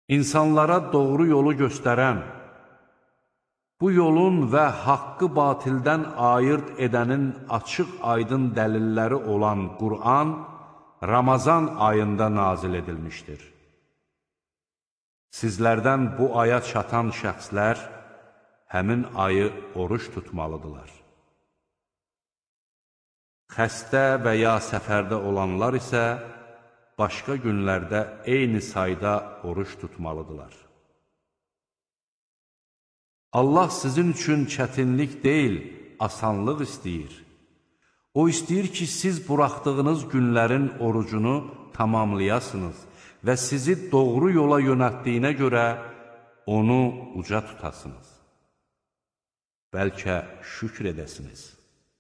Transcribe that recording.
İnsanlara doğru yolu göstərən, bu yolun və haqqı batildən ayırt edənin açıq-aydın dəlilləri olan Qur'an Ramazan ayında nazil edilmişdir. Sizlərdən bu aya çatan şəxslər həmin ayı oruç tutmalıdırlar. Xəstə və ya səfərdə olanlar isə başqa günlərdə eyni sayda oruç tutmalıdırlar. Allah sizin üçün çətinlik deyil, asanlıq istəyir. O istəyir ki, siz buraxdığınız günlərin orucunu tamamlayasınız və sizi doğru yola yönəltdiyinə görə onu uca tutasınız. Bəlkə şükr edəsiniz.